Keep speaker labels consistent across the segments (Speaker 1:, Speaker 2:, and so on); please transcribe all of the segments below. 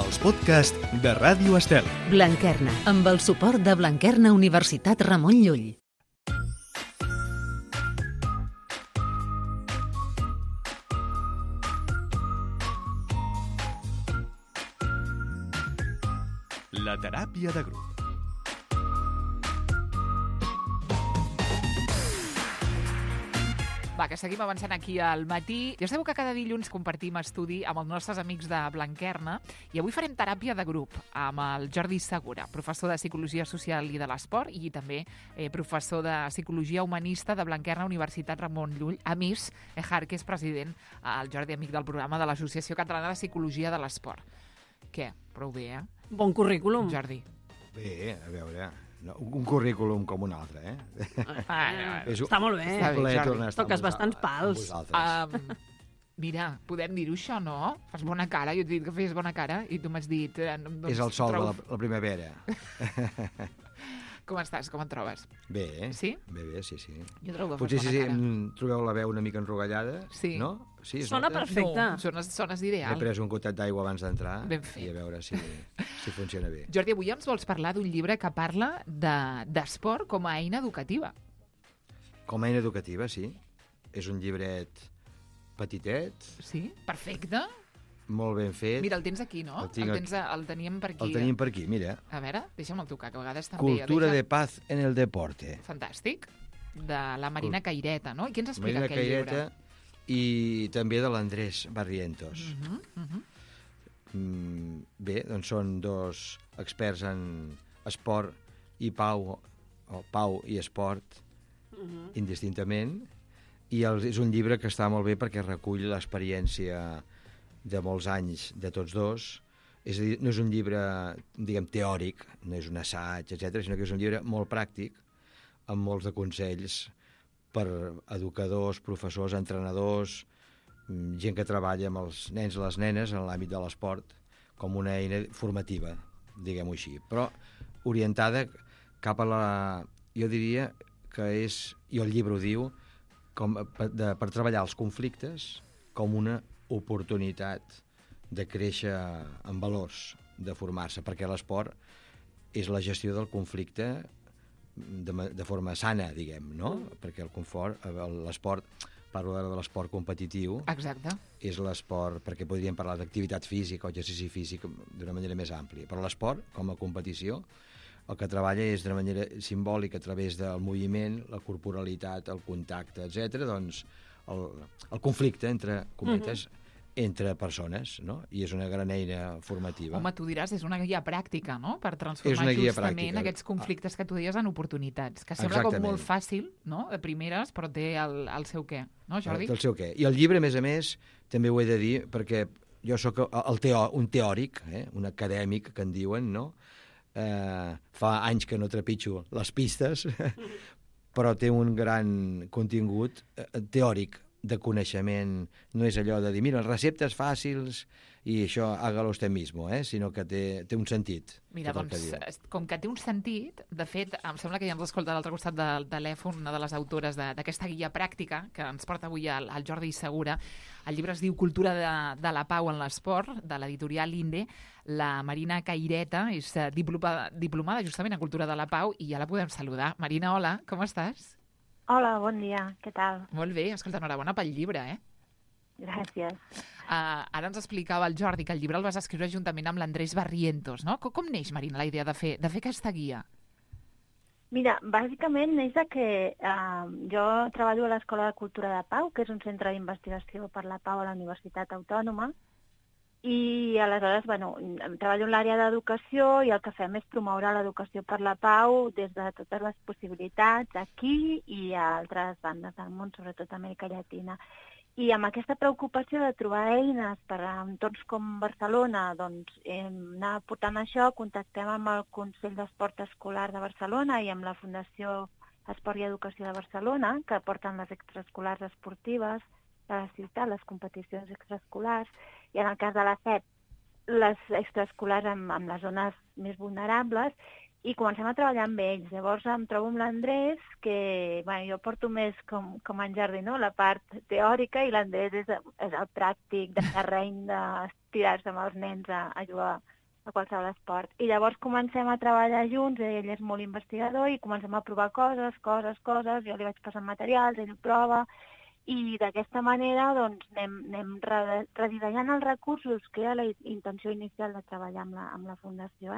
Speaker 1: Els podcasts de Ràdio Estel.
Speaker 2: Blanquerna, amb el suport de Blanquerna Universitat Ramon Llull.
Speaker 1: La teràpia de grup.
Speaker 3: Va, que seguim avançant aquí al matí. Ja sabeu que cada dilluns compartim estudi amb els nostres amics de Blanquerna i avui farem teràpia de grup amb el Jordi Segura, professor de Psicologia Social i de l'Esport i també professor de Psicologia Humanista de Blanquerna Universitat Ramon Llull. A més, Ejar, que és president, el Jordi, amic del programa de l'Associació Catalana de Psicologia de l'Esport. Què? Prou bé, eh?
Speaker 4: Bon currículum.
Speaker 3: Jordi.
Speaker 5: Bé, a veure, no, un currículum com un altre, eh?
Speaker 4: Està molt bé.
Speaker 3: Està bé, Jordi.
Speaker 4: Toques bastants pals.
Speaker 3: Mira, podem dir-ho això, no? Fas bona cara, jo t'he dit que feies bona cara i tu m'has dit... Doncs,
Speaker 5: és el sol de la primavera.
Speaker 3: Com estàs? Com et trobes?
Speaker 5: Bé,
Speaker 3: Sí?
Speaker 5: Bé, sí.
Speaker 3: Jo trobo que
Speaker 5: Potser
Speaker 3: fas
Speaker 5: si
Speaker 3: bona cara.
Speaker 5: trobeu la veu una mica enrogallada,
Speaker 3: Sí.
Speaker 5: no? Sí, es
Speaker 4: Sona
Speaker 5: nota?
Speaker 4: perfecte.
Speaker 3: No, sones
Speaker 5: He
Speaker 3: d'ideal.
Speaker 5: pres un gotet d'aigua abans d'entrar
Speaker 3: Ben fet.
Speaker 5: i a veure si funciona bé.
Speaker 3: Jordi, avui ens vols parlar d'un llibre que parla d'esport com a eina educativa.
Speaker 5: Com a eina educativa, sí. És un llibret petitet,
Speaker 3: Sí? Perfecte.
Speaker 5: molt ben fet.
Speaker 3: Mira, el tens aquí, no?
Speaker 5: El tinc aquí.
Speaker 3: El teníem per aquí.
Speaker 5: El tenim per aquí, mira.
Speaker 3: A veure, deixa'm tocar, que a vegades també...
Speaker 5: Cultura de paz en el deporte.
Speaker 3: Fantàstic. De la Marina Caireta, no? I què ens explica
Speaker 5: Marina
Speaker 3: aquest
Speaker 5: Caireta
Speaker 3: llibre?
Speaker 5: i també de l'Andrés Barrientos. Bé, doncs són dos experts en esport i pau, o pau i esport, indistintament, i és un llibre que està molt bé perquè recull l'experiència de molts anys de tots dos. És a dir, no és un llibre, diguem, teòric, no és un assaig, etc., sinó que és un llibre molt pràctic, amb molts de consells per educadors, professors, entrenadors, gent que treballa amb els nens i les nenes en l'àmbit de l'esport, com una eina formativa, diguem-ho així, però orientada cap a la... Jo diria que és, i el llibre ho diu, per treballar els conflictes com una oportunitat de créixer en valors, de formar-se, perquè l'esport és la gestió del conflicte de forma sana, diguem, no? Perquè l'esport, parlo ara de l'esport competitiu,
Speaker 3: Exacte.
Speaker 5: és l'esport, perquè podríem parlar d'activitat física o exercici físic d'una manera més àmplia, però l'esport, com a competició, el que treballa és d'una manera simbòlica a través del moviment, la corporalitat, el contacte, etc. Doncs el conflicte, entre cometes, entre persones, no? I és una gran eina formativa.
Speaker 3: Home, tu diràs, és una guia pràctica, no?, per
Speaker 5: És
Speaker 3: transformar
Speaker 5: una guia
Speaker 3: justament
Speaker 5: pràctica.
Speaker 3: aquests conflictes que tu deies en oportunitats, que sembla com
Speaker 5: Exactament.
Speaker 3: molt fàcil, no?, de primeres, però té el seu què, no, Jordi?
Speaker 5: El seu què. I el llibre, a més, també ho he de dir, perquè jo sóc un teòric, un acadèmic, que en diuen, no? Fa anys que no trepitjo les pistes, però té un gran contingut teòric, de coneixement. No és allò de dir, mira, receptes fàcils i això, hágalo usted mismo, sinó que té un sentit.
Speaker 3: Mira, doncs, com que té un sentit, de fet, em sembla que ja ens escolta a l'altre costat del telèfon una de les autores d'aquesta guia pràctica que ens porta avui el Jordi Segura. El llibre es diu Cultura de la pau en l'esport, de l'editorial Inde. La Marina Caireta és diplomada justament en Cultura de la Pau i ja la podem saludar. Marina, hola, com estàs?
Speaker 6: Hola, bon dia, què tal?
Speaker 3: Molt bé, escolta, enhorabona pel llibre, eh?
Speaker 6: Gràcies.
Speaker 3: Ara ens explicava el Jordi que el llibre el vas escriure juntament amb l'Andrés Barrientos, no? Com neix, Marina, la idea de fer aquesta guia?
Speaker 6: Mira, bàsicament neix de que jo treballo a l'Escola de Cultura de Pau, que és un centre d'investigació per la pau a la Universitat Autònoma, i aleshores, treballo en l'àrea d'educació i el que fem és promoure l'educació per la pau des de totes les possibilitats aquí i a altres bandes del món, sobretot a Amèrica Llatina. I amb aquesta preocupació de trobar eines per a entorns com Barcelona, doncs anar portant això, contactem amb el Consell d'Esport Escolar de Barcelona i amb la Fundació Esport i Educació de Barcelona, que porten les extraescolars esportives de la ciutat, les competicions extraescolars, i en el cas de la FEP, les extraescolars amb les zones més vulnerables, i comencem a treballar amb ells. Llavors em trobo amb l'Andrés, que jo porto més com en Jordi, no? La part teòrica, i l'Andrés és el pràctic de terreny tirar-se amb els nens a jugar a qualsevol esport. I llavors comencem a treballar junts, ell és molt investigador, i comencem a provar coses, jo li vaig passant materials, ell ho prova, i d'aquesta manera doncs, anem redissenyant els recursos, que era la intenció inicial de treballar amb la Fundació,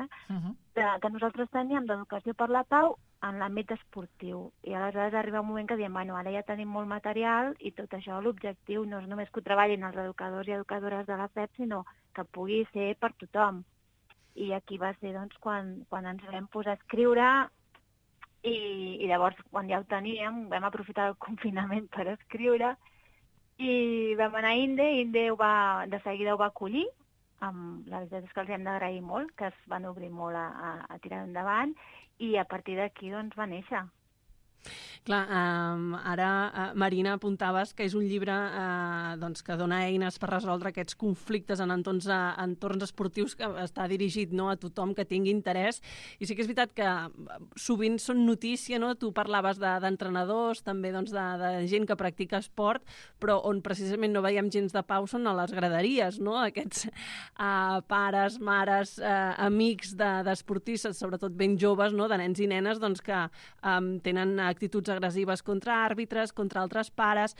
Speaker 6: que nosaltres teníem d'educació per la pau en l'àmbit esportiu. I aleshores arriba un moment que diem, bueno, ara ja tenim molt material i tot això, l'objectiu no és només que ho treballin els educadors i educadores de la FEP, sinó que pugui ser per tothom. I aquí va ser doncs, quan ens vam posar a escriure. I llavors, quan ja ho teníem, vam aprofitar el confinament per escriure i vam anar a Inde de seguida ho va acollir. La veritat és que els hem d'agrair molt, que es van obrir molt a tirar endavant, i a partir d'aquí doncs, va néixer.
Speaker 4: Clar, ara, Marina, apuntaves que és un llibre que dona eines per resoldre aquests conflictes en entorns esportius, que està dirigit a tothom que tingui interès. I sí que és veritat que sovint són notícia, no? Tu parlaves d'entrenadors, també de gent que practica esport, però on precisament no veiem gens de pau són a les graderies, no? Aquests pares, mares, amics d'esportistes, sobretot ben joves, no? De nens i nenes, que tenen actituds agressives contra àrbitres, contra altres pares.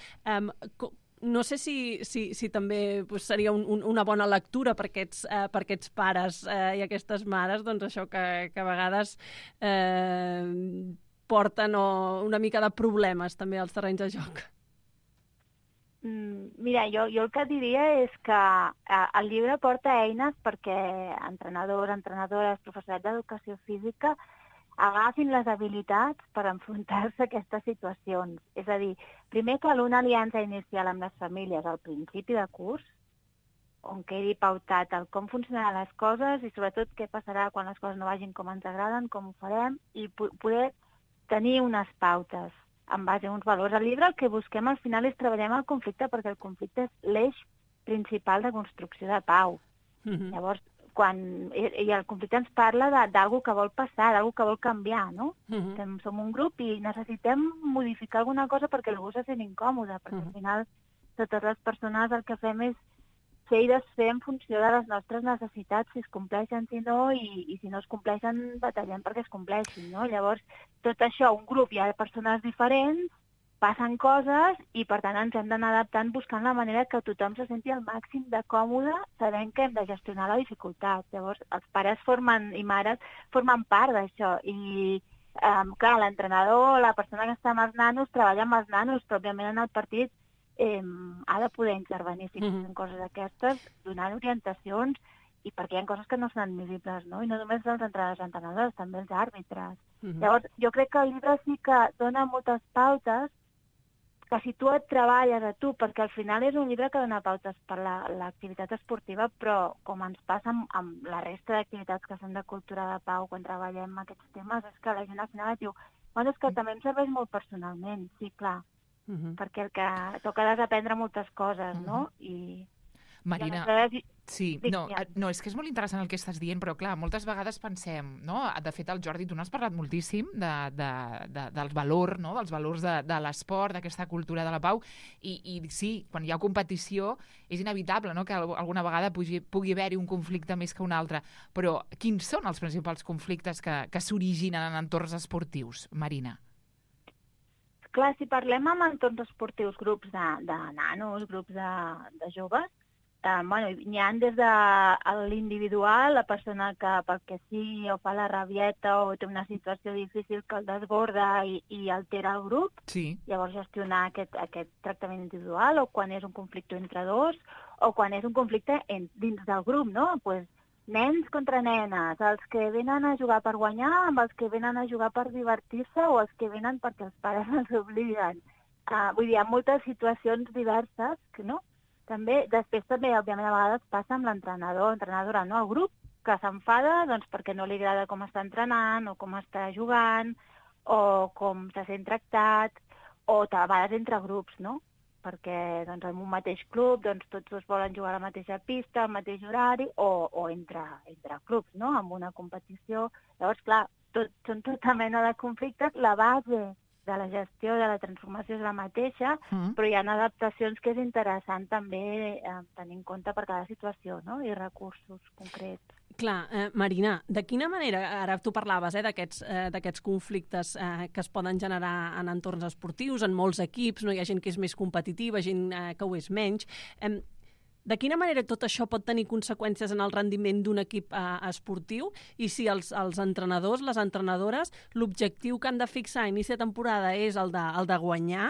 Speaker 4: No sé si també seria una bona lectura per aquests pares i aquestes mares, això que a vegades porten una mica de problemes també als terrenys de joc.
Speaker 6: Mira, jo el que diria és que el llibre porta eines perquè entrenadors, entrenadores, professorat d'educació física agafin les habilitats per enfrontar-se a aquestes situacions. És a dir, primer cal una aliança inicial amb les famílies al principi de curs, on quedi pautat el com funcionaran les coses i sobretot què passarà quan les coses no vagin com ens agraden, com ho farem, i poder tenir unes pautes en base a uns valors. Al llibre el que busquem al final és treballar el conflicte, perquè el conflicte és l'eix principal de construcció de pau. Llavors, i el conflicte ens parla d'alguna que vol passar, d'alguna que vol canviar, no? Som un grup i necessitem modificar alguna cosa perquè algú se sent incòmode, perquè al final totes les persones el que fem és fer i desfer en funció de les nostres necessitats, si es compleixen, si no, i si no es compleixen, batallem perquè es compleixin, no? Llavors, tot això, un grup, hi ha persones diferents, passen coses i, per tant, ens hem d'anar adaptant buscant la manera que tothom se senti al màxim de còmode, sabent que hem de gestionar la dificultat. Llavors, els pares i mares formen part d'això i, clar, l'entrenador, la persona que està amb els nanos, treballa amb els nanos, però, òbviament, en el partit ha de poder intervenir si són coses d'aquestes, donant orientacions, i perquè hi ha coses que no són admissibles, no? I no només els entrenadors, també els àrbitres. Llavors, jo crec que el llibre sí que dona moltes pautes que si tu et treballes a tu, perquè al final és un llibre que dona pautes per l'activitat esportiva, però com ens passa amb la resta d'activitats que són de cultura de pau quan treballem aquests temes, és que la gent al final et diu, bueno, és que també em serveix molt personalment, sí, clar, perquè el que toca desaprendre moltes coses, no?
Speaker 3: Marina, sí, no, és que és molt interessant el que estàs dient, però clar, moltes vegades pensem, no? De fet, el Jordi, tu n'has parlat moltíssim del valor, no? Dels valors de l'esport, d'aquesta cultura de la pau, i sí, quan hi ha competició és inevitable, no? Que alguna vegada pugui haver-hi un conflicte més que un altre, però quins són els principals conflictes que s'originen en entorns esportius, Marina?
Speaker 6: Clar, si parlem amb entorns esportius, grups de nanos, grups de joves, n'hi ha des de l'individual, la persona que perquè sí o fa la rabieta o té una situació difícil que el desborda i altera el grup, llavors gestionar aquest tractament individual, o quan és un conflicte entre dos, o quan és un conflicte dins del grup, no? Pues, nens contra nenes, els que venen a jugar per guanyar amb els que venen a jugar per divertir-se o els que venen perquè els pares els obliguen. Vull dir, hi ha moltes situacions diverses, no? Després també, òbviament, a vegades passa amb l'entrenador, entrenadora, no? El grup que s'enfada perquè no li agrada com està entrenant o com està jugant o com se sent tractat, o a vegades entre grups, no? Perquè en un mateix club tots dos volen jugar a la mateixa pista, al mateix horari, o entre clubs, no? Amb una competició. Llavors, clar, són tota mena de conflictes. La base de la gestió, de la transformació és la mateixa, però hi ha adaptacions que és interessant també tenir en compte per cada situació, no? I recursos concrets.
Speaker 4: Clar, Marina, de quina manera, ara tu parlaves d'aquests conflictes que es poden generar en entorns esportius, en molts equips, no? Hi ha gent que és més competitiva, gent que ho és menys. De quina manera tot això pot tenir conseqüències en el rendiment d'un equip esportiu i si els entrenadors, les entrenadores, l'objectiu que han de fixar a inici de temporada és el de guanyar,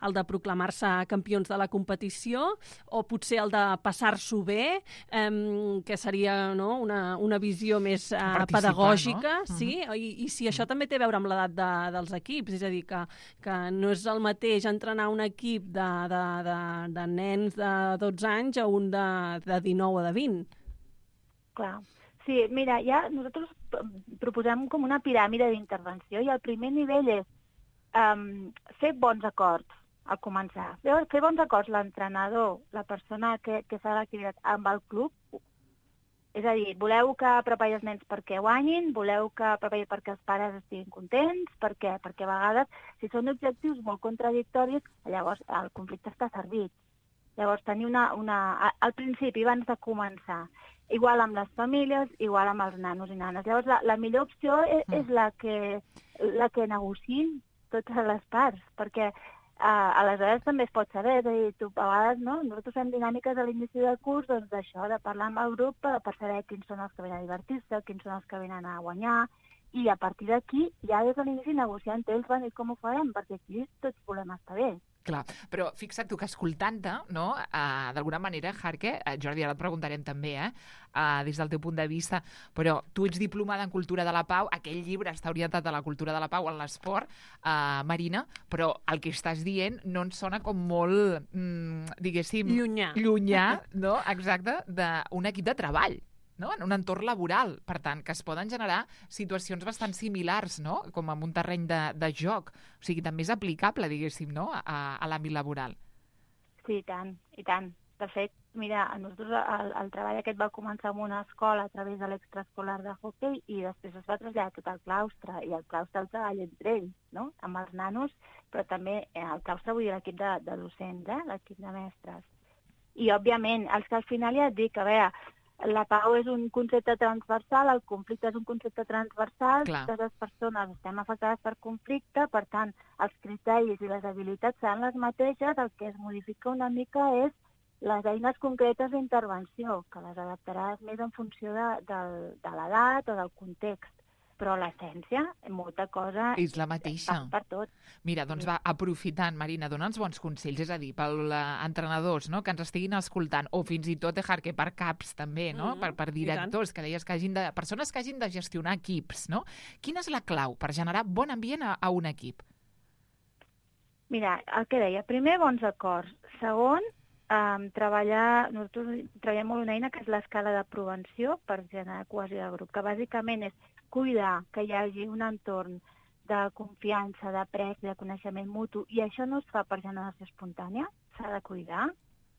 Speaker 4: el de proclamar-se campions de la competició o potser el de passar-s'ho bé, que seria una visió més pedagògica, no? Sí? I si això també té a veure amb l'edat dels equips, és a dir, que no és el mateix entrenar un equip de nens de 12 anys a un de 19 o de 20.
Speaker 6: Clar. Sí, mira, ja nosaltres proposem com una piràmide d'intervenció i el primer nivell és fer bons acords al començar. Fer bons acords l'entrenador, la persona que fa l'activitat amb el club. És a dir, voleu que prepareu els nens perquè guanyin, voleu que prepareu perquè els pares estiguin contents, per què? Perquè a vegades, si són objectius molt contradictoris, llavors el conflicte està servit. Llavors, tenir al principi, abans de començar, igual amb les famílies, igual amb els nanos i nanes. Llavors, la millor opció és la que negociïn totes les parts, perquè aleshores també es pot saber, és a dir, a vegades, no? Nosaltres fem dinàmiques a l'inici del curs, doncs d'això, de parlar amb el grup per saber quins són els que venen a divertir-se, quins són els que venen a guanyar, i a partir d'aquí, ja des de l'inici negociar entre ells, i com ho farem, perquè aquí tots volem estar bé.
Speaker 3: Clar, però fixa't tu que escoltant-te, no, d'alguna manera, Jarque, Jordi, ara et preguntarem també, des del teu punt de vista, però tu ets diplomada en Cultura de la Pau, aquell llibre està orientat a la cultura de la pau, en l'esport, Marina, però el que estàs dient no ens sona com molt, diguéssim... Llunyà, no? Exacte, d'un equip de treball. No? En un entorn laboral, per tant, que es poden generar situacions bastant similars, no? Com en un terreny de joc. O sigui, també és aplicable, diguéssim, no? A l'àmbit laboral.
Speaker 6: Sí, i tant, i tant. De fet, mira, nosaltres el treball aquest va començar en una escola a través de l'extraescolar de hoquei i després es va traslladar tot al claustre, i el claustre el treball entre ells, no? Amb els nanos, però també el claustre vull dir l'equip de docents, l'equip de mestres. I, òbviament, els que al final ja et dic, a veure, la pau és un concepte transversal, el conflicte és un concepte transversal, totes les persones estem afectades per conflicte, per tant, els criteris i les habilitats seran les mateixes, el que es modifica una mica és les eines concretes d'intervenció, que les adaptaràs més en funció de l'edat o del context. Però l'essència, molta cosa...
Speaker 3: És la mateixa.
Speaker 6: Per tot.
Speaker 3: Mira, doncs va, aprofitant, Marina, dona'ns bons consells, és a dir, per entrenadors, no?, que ens estiguin escoltant, o fins i tot, Jarque, per caps també, no?, per directors, que deies que persones que hagin de gestionar equips, no? Quina és la clau per generar bon ambient a un equip?
Speaker 6: Mira, el que deia, primer, bons acords. Segon, nosaltres treballem molt una eina que és l'escala de prevenció per generar cohesió de grup, que bàsicament és cuidar que hi hagi un entorn de confiança, d'apreci, de coneixement mutu, i això no es fa per generació espontània, s'ha de cuidar,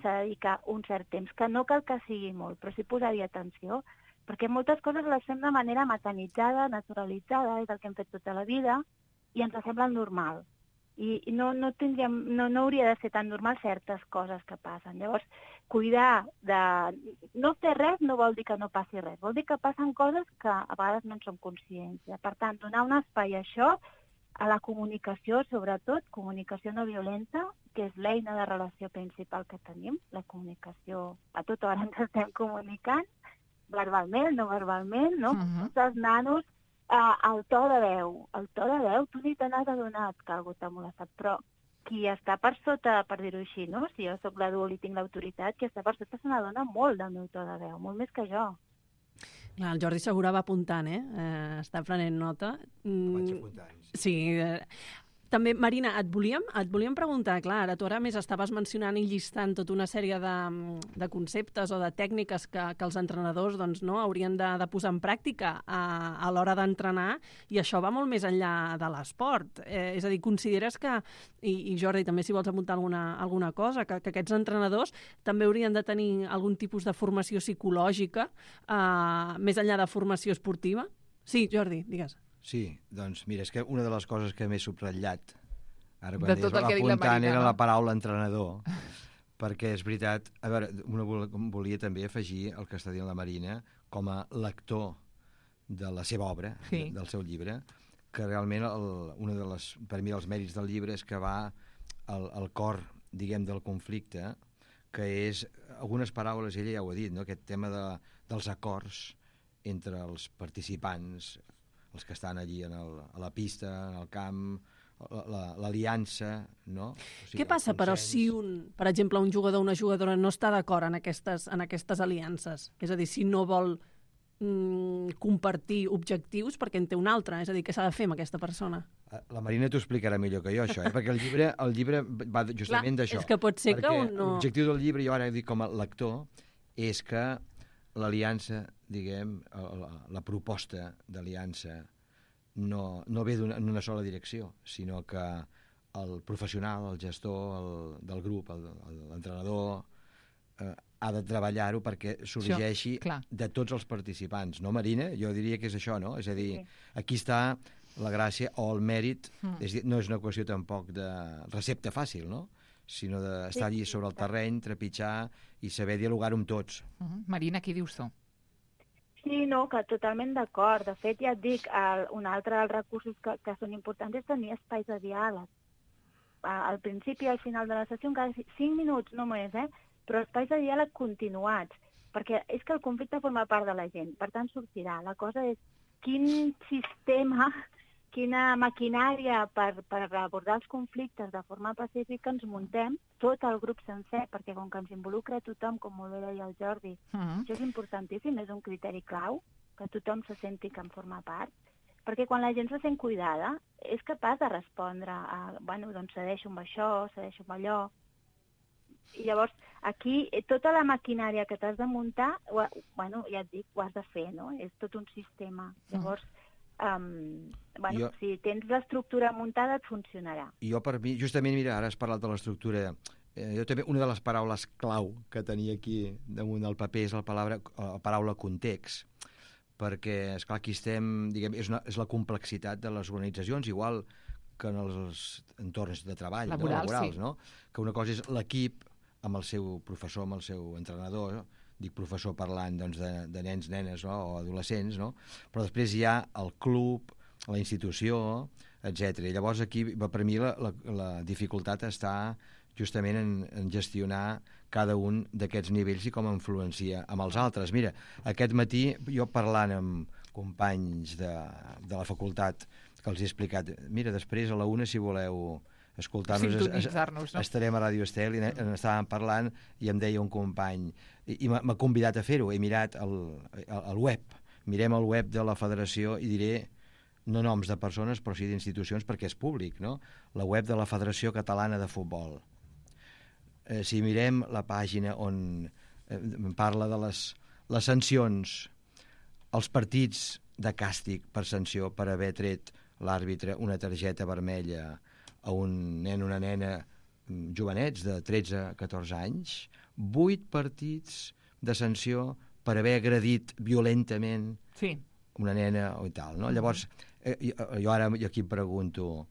Speaker 6: s'ha de dedicar un cert temps, que no cal que sigui molt, però sí posar-hi atenció, perquè moltes coses les fem de manera mecanitzada, naturalitzada, és el que hem fet tota la vida, i ens sembla normal. I no hauria de ser tan normal certes coses que passen. Llavors, cuidar de... No fer res no vol dir que no passi res, vol dir que passen coses que a vegades no en som conscients. Per tant, donar un espai a això, a la comunicació, sobretot, comunicació no violenta, que és l'eina de relació principal que tenim, la comunicació. A tota hora ens estem comunicant, verbalment, no verbalment, no? Tots els nanos, el to de veu, tu ni te n'has adonat que algú t'ha molestat, però qui està per sota, per dir-ho així, no? Si jo sóc l'adult i tinc l'autoritat, qui està per sota se n'adona molt del meu to de veu, molt més que jo.
Speaker 4: Clar, el Jordi Segura va apuntant, està prenent nota.
Speaker 5: Vaig apuntant.
Speaker 4: Sí. També, Marina, et volíem preguntar, clar, ara tu ara més estaves mencionant i llistant tota una sèrie de conceptes o de tècniques que els entrenadors doncs, no, haurien de posar en pràctica a l'hora d'entrenar, i això va molt més enllà de l'esport. És a dir, consideres que, i Jordi, també si vols apuntar alguna cosa, que aquests entrenadors també haurien de tenir algun tipus de formació psicològica més enllà de formació esportiva? Sí, Jordi, digues.
Speaker 5: Sí, doncs mira, és que una de les coses que m'he subratllat Ara,
Speaker 3: De
Speaker 5: quan
Speaker 3: tot
Speaker 5: deies,
Speaker 3: el que ha dit la
Speaker 5: apuntant
Speaker 3: Marina,
Speaker 5: era
Speaker 3: no?
Speaker 5: la paraula entrenador, perquè és veritat, a veure, volia també afegir el que està dient la Marina com a lector de la seva obra,
Speaker 3: Sí.
Speaker 5: del seu llibre, que realment per mi els mèrits del llibre és que va al cor, diguem, del conflicte, que és, algunes paraules, ella ja ho ha dit, no? Aquest tema dels acords entre els participants, els que estan allí a la pista, en el camp, l'aliança, no? O sigui,
Speaker 4: Què passa,
Speaker 5: el
Speaker 4: però,
Speaker 5: consens.
Speaker 4: si per exemple, un jugador o una jugadora no està d'acord en aquestes aliances? És a dir, si no vol compartir objectius perquè en té un altre, és a dir, què s'ha de fer amb aquesta persona?
Speaker 5: La Marina t'ho explicarà millor que jo, això, perquè el llibre va justament d'això.
Speaker 4: És que pot ser que un no...
Speaker 5: L'objectiu del llibre, jo ara dic com a lector, és que l'aliança, diguem, la proposta d'aliança no ve en una sola direcció, sinó que el professional, el gestor del grup, l'entrenador, ha de treballar-ho perquè sorgeixi de tots els participants. No, Marina? Jo diria que és això, no? És a dir, aquí està la gràcia o el mèrit, és dir, no és una qüestió tampoc de recepta fàcil, no? Sinó d'estar allí sobre el terreny, trepitjar i saber dialogar-ho amb tots.
Speaker 3: Marina, què dius tu?
Speaker 6: Sí, no, que totalment d'acord. De fet, ja et dic, un altre dels recursos que són importants és tenir espais de diàleg. Al principi i al final de la sessió, encara 5 minuts només, però espais de diàleg continuats, perquè és que el conflicte forma part de la gent, per tant sortirà. La cosa és quin sistema, quina maquinària per abordar els conflictes de forma pacífica ens muntem, tot el grup sencer, perquè com que ens involucra tothom, com molt bé deia el Jordi, això és importantíssim, és un criteri clau, que tothom se senti que en forma part, perquè quan la gent se sent cuidada és capaç de respondre doncs cedeixo amb això, cedeixo amb allò. I llavors, aquí, tota la maquinària que t'has de muntar, ja et dic, ho has de fer, no? És tot un sistema. Llavors, si tens l'estructura muntada, et funcionarà.
Speaker 5: Jo, per mi, justament, mira, ara has parlat de l'estructura. Jo també, una de les paraules clau que tenia aquí damunt del paper és la paraula context, perquè, esclar, aquí estem, diguem, és la complexitat de les organitzacions, igual que en els entorns de treball, laborals, no? Que una cosa és l'equip amb el seu professor, amb el seu entrenador, dic professor parlant doncs, de nens, nenes, no? O adolescents, no? Però després hi ha el club, la institució, etc. Llavors aquí, per mi, la dificultat està justament en gestionar cada un d'aquests nivells i com influencia amb els altres. Mira, aquest matí, jo parlant amb companys de la facultat que els he explicat, mira, després a la 1, si voleu escoltar-nos, estarem a Ràdio Estel, i estàvem parlant i em deia un company, i m'ha convidat a fer-ho, he mirat el web, mirem el web de la federació i diré no noms de persones, però sí d'institucions, perquè és públic, no? La web de la Federació Catalana de Futbol. Si mirem la pàgina on parla de les sancions, els partits de càstig per sanció per haver tret l'àrbitre una targeta vermella a un nen o una nena jovenets de 13 a 14 anys, 8 partits de sanció per haver agredit violentament una nena o tal, no? Llavors, jo ara aquí em pregunto,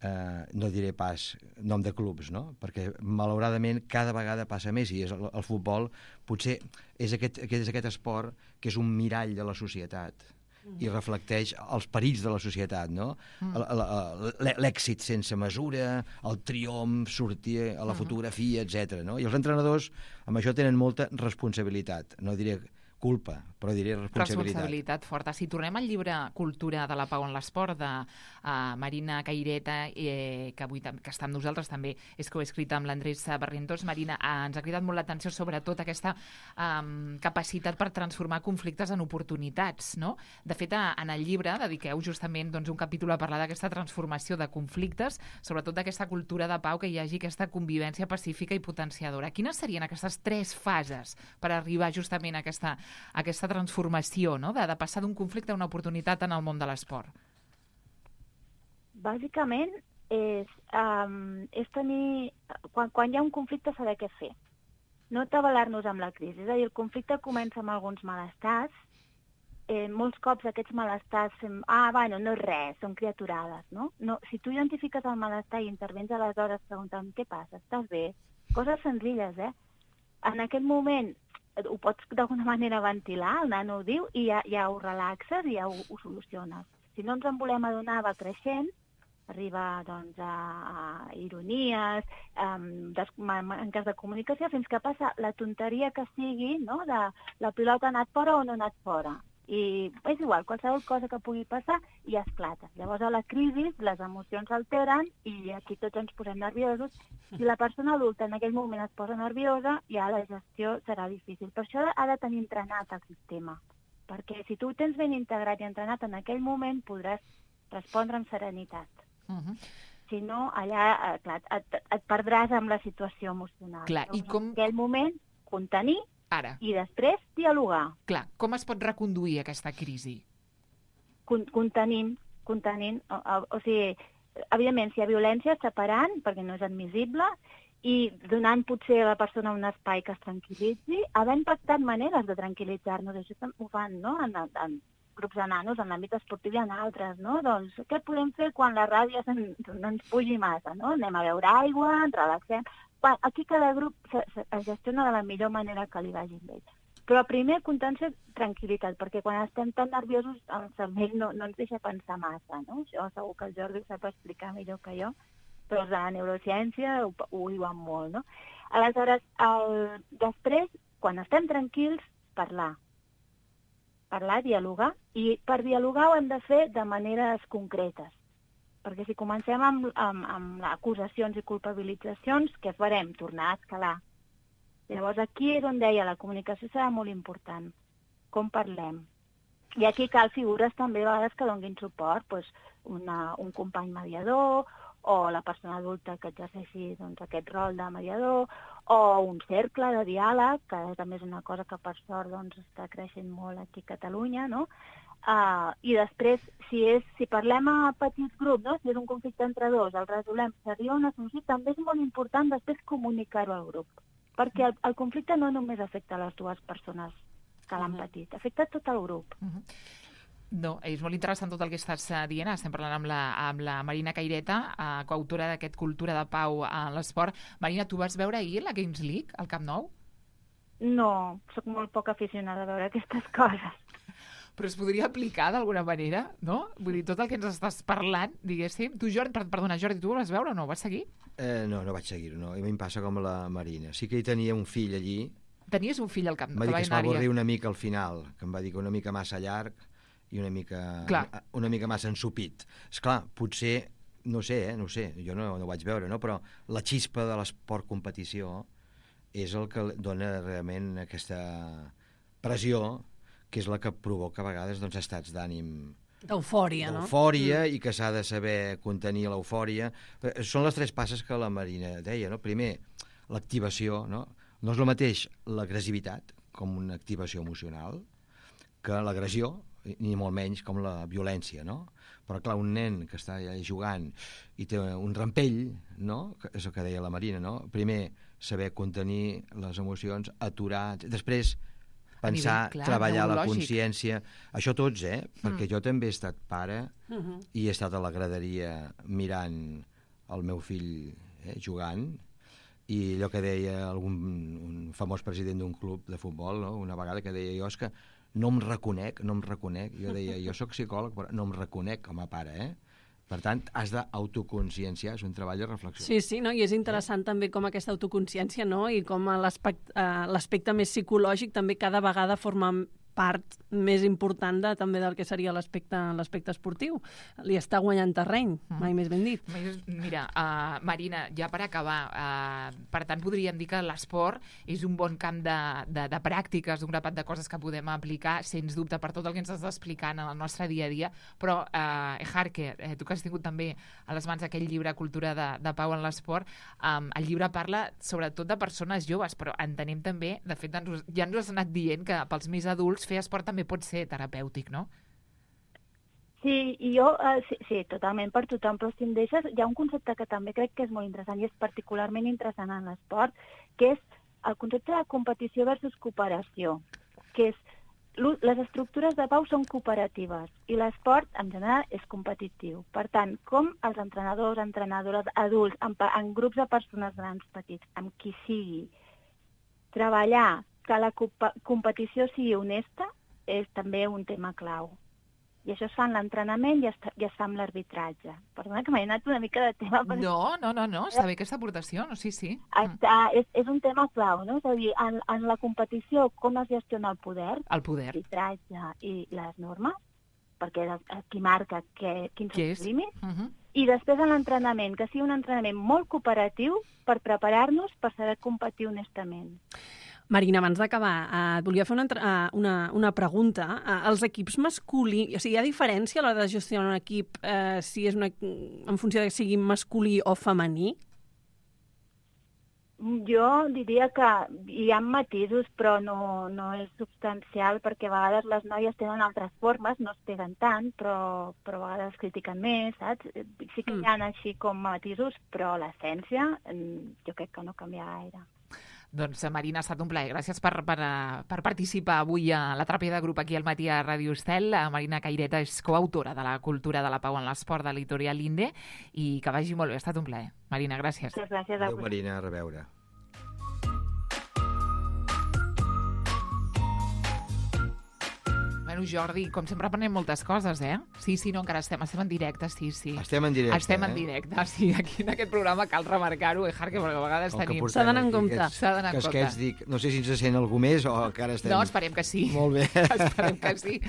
Speaker 5: no diré pas nom de clubs, no? Perquè malauradament cada vegada passa més i el futbol potser és aquest esport que és un mirall de la societat i reflecteix els perills de la societat, no? L'èxit sense mesura, el triomf, sortir a la fotografia, etc. No? I els entrenadors amb això tenen molta responsabilitat, no diré culpa, però diré responsabilitat
Speaker 3: forta. Si tornem al llibre Cultura de la Pau en l'Esport de Marina Caireta, que avui que està amb nosaltres també és coescrita amb l'Andrés Barrientos. Marina, ens ha cridat molt l'atenció sobretot aquesta capacitat per transformar conflictes en oportunitats, no? De fet, en el llibre dediqueu justament un capítol a parlar d'aquesta transformació de conflictes, sobretot d'aquesta cultura de pau, que hi hagi aquesta convivència pacífica i potenciadora. Quines serien aquestes 3 fases per arribar justament a aquesta transformació, no? De passar d'un conflicte a una oportunitat en el món de l'esport?
Speaker 6: Bàsicament és tenir... Quan hi ha un conflicte, saber què fer. No atabalar-nos amb la crisi. És a dir, el conflicte comença amb alguns malestars, molts cops aquests malestars bueno, no és res, són criaturades, no? Si tu identifiques el malestar i intervens aleshores preguntant què passa, estàs bé? Coses senzilles, En aquest moment ho pots d'alguna manera ventilar, el nano ho diu, i ja ho relaxes i ja ho soluciones. Si no ens en volem adonar, va creixent, arriba doncs, a ironies, manques de comunicació, fins que passa la tonteria que sigui, no?, de la pilota ha anat fora o no ha anat fora. I és igual, qualsevol cosa que pugui passar i esclata. Llavors, a la crisi, les emocions s'alteren i aquí tots ens posem nerviosos. Si la persona adulta en aquell moment es posa nerviosa, ja la gestió serà difícil. Per això ha de tenir entrenat el sistema, perquè si tu ho tens ben integrat i entrenat en aquell moment, podràs respondre amb serenitat. Si no, allà, clar, et perdràs amb la situació emocional.
Speaker 3: Clar, i com...
Speaker 6: En aquell moment, contenir i després dialogar.
Speaker 3: Clar, com es pot reconduir aquesta crisi?
Speaker 6: Contenint. O sigui, evidentment, si hi ha violència, separant, perquè no és admissible, i donant potser a la persona un espai que es tranquil·litzi, havent pactat maneres de tranquil·litzar-nos. Això ho fan, no?, en grups de nanos, en l'àmbit esportiu i en altres, no? Doncs què podem fer quan la ràbia no ens pugi massa, no? Anem a beure aigua, ens relaxem... Aquí cada grup es gestiona de la millor manera que li vagi bé. Però primer, contenció, tranquil·litat, perquè quan estem tan nerviosos el cervell no ens deixa pensar massa, no? Això segur que el Jordi ho sap explicar millor que jo, però la neurociència ho diuen molt, no? Aleshores, després, quan estem tranquils, parlar, dialogar, i per dialogar ho hem de fer de maneres concretes. Perquè si comencem amb acusacions i culpabilitzacions, què farem? Tornar a escalar. Llavors aquí és on deia, la comunicació serà molt important. Com parlem? I aquí cal figures també a vegades que donin suport, doncs un company mediador, o la persona adulta que exerceixi aquest rol de mediador, o un cercle de diàleg, que també és una cosa que per sort està creixent molt aquí a Catalunya, no? I després, si parlem a petits grups, no? Si és un conflicte entre dos, el resolem, s'arriba a una solució, també és molt important després comunicar-ho al grup, perquè el conflicte no només afecta a les dues persones que l'han patit, afecta tot el grup.
Speaker 3: No, és molt interessant tot el que estàs dient. Estem parlant amb la Marina Caireta, coautora d'aquest Cultura de Pau a l'esport. Marina, tu vas veure ahir la Games League al Camp Nou?
Speaker 6: No, sóc molt poc aficionada a veure aquestes coses.
Speaker 3: Però es podria aplicar d'alguna manera, no? Vull dir, tot el que ens estàs parlant, diguéssim... Tu, Jordi, tu ho vas veure o no? Ho vas seguir?
Speaker 5: No vaig seguir-ho, no. A mi em passa com la Marina. Sí que hi tenia un fill allí.
Speaker 3: Tenies un fill al Camp Nou?
Speaker 5: Em va dir que es va avorrir una mica al final, que em va dir que una mica massa llarg i una mica massa ensupit. Esclar, potser, no sé, jo no ho vaig veure, no? Però la xispa de l'esport competició és el que dona realment aquesta pressió, que és la que provoca a vegades estats d'ànim...
Speaker 4: D'eufòria, no?
Speaker 5: D'eufòria, i que s'ha de saber contenir l'eufòria. Són les tres passes que la Marina deia, no? Primer, l'activació, no? No és el mateix l'agressivitat com una activació emocional que l'agressió, ni molt menys com la violència, no? Però, clar, un nen que està jugant i té un rampell, no? És el que deia la Marina, no? Primer, saber contenir les emocions, aturar... Després, pensar, treballar la consciència... Això tots, perquè jo també he estat pare i he estat a la graderia mirant el meu fill jugant, i allò que deia un famós president d'un club de futbol, no? Una vegada que deia jo, és que no em reconec, jo deia, jo sóc psicòleg, però no em reconec com a pare, Per tant, has d'autoconscienciar, és un treball de reflexió.
Speaker 4: Sí, no? I és interessant també com aquesta autoconsciència, no? I com l'aspecte més psicològic també cada vegada forma part més important també del que seria l'aspecte esportiu. Li està guanyant terreny, mai més ben dit.
Speaker 3: Mira, Marina, ja per acabar, per tant podríem dir que l'esport és un bon camp de pràctiques, un grapat de coses que podem aplicar, sens dubte, per tot el que ens estàs explicant en el nostre dia a dia, però Harker, tu que has tingut també a les mans aquell llibre Cultura de Pau en l'esport, el llibre parla sobretot de persones joves, però entenem també, de fet ja ens has anat dient que pels més adults fer esport també pot ser terapèutic, no?
Speaker 6: Sí, i jo, sí, totalment per tothom, però si em deixes, hi ha un concepte que també crec que és molt interessant i és particularment interessant en l'esport, que és el concepte de competició versus cooperació, que és les estructures de pau són cooperatives i l'esport, en general, és competitiu. Per tant, com els entrenadors, entrenadores, adults, en grups de persones grans, petits, amb qui sigui, treballar que la competició sigui honesta és també un tema clau. I això es fa en l'entrenament i es fa amb l'arbitratge. Perdona que m'he anat una mica de tema.
Speaker 3: No, està bé aquesta aportació, sí.
Speaker 6: És un tema clau, no? És a dir, en la competició, com es gestiona el poder, l'arbitratge i les normes, perquè és qui marca quins són els límits, i després en l'entrenament, que sigui un entrenament molt cooperatiu per preparar-nos per saber competir honestament.
Speaker 4: Marina, abans d'acabar, et volia fer una pregunta. Els equips masculins, o sigui, hi ha diferència a l'hora de gestionar un equip si és en funció de que sigui masculí o femení?
Speaker 6: Jo diria que hi ha matisos, però no és substancial, perquè a vegades les noies tenen altres formes, no es peguen tant, però a vegades critiquen més, saps? Sí que hi ha així com matisos, però l'essència jo crec que no canvia gaire.
Speaker 3: Doncs, Marina, ha estat un plaer. Gràcies per participar avui a la teràpia de grup aquí al matí a Ràdio Estel. Marina Caireta és coautora de la cultura de la pau en l'esport de l'editorial Inde i que vagi molt bé. Ha estat un plaer. Marina, gràcies.
Speaker 6: Gràcies a
Speaker 5: Adéu, Marina, a reveure.
Speaker 3: Bueno, Jordi, com sempre aprenem moltes coses, eh? Sí, no, encara estem en directe, sí.
Speaker 5: Estem en directe,
Speaker 3: Estem en directe, sí. Aquí en aquest programa cal remarcar-ho, Jarque, perquè a vegades tenim...
Speaker 4: S'ha d'anar en compte.
Speaker 3: S'ha d'anar en compte.
Speaker 5: Dic, no sé si ens sent algú més o encara estem...
Speaker 3: No, esperem que sí.
Speaker 5: Molt bé.
Speaker 3: Esperem que sí.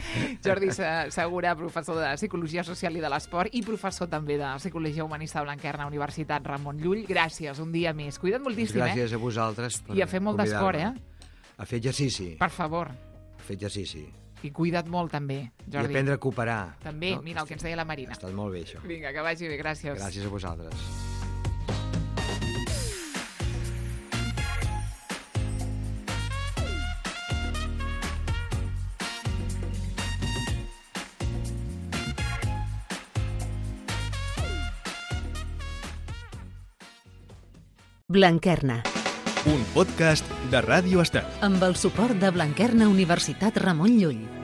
Speaker 3: Jordi Segura, professor de Psicologia Social i de l'Esport i professor també de Psicologia Humanista de Blanquerna, Universitat Ramon Llull. Gràcies, un dia més. Cuida't moltíssim,
Speaker 5: Gràcies a vosaltres per
Speaker 3: I a fer molt d'esport,
Speaker 5: A fer exercici.
Speaker 3: Per favor.
Speaker 5: A fer exercici.
Speaker 3: I cuida't molt, també, Jordi.
Speaker 5: I aprendre a cooperar.
Speaker 3: També, no? Mira el que ens deia la Marina.
Speaker 5: Ha estat molt bé, això.
Speaker 3: Vinga, que vagi bé, gràcies.
Speaker 5: Gràcies a vosaltres.
Speaker 2: Blanquerna.
Speaker 1: Un podcast de Ràdio Estel.
Speaker 2: Amb el suport de Blanquerna Universitat Ramon Llull.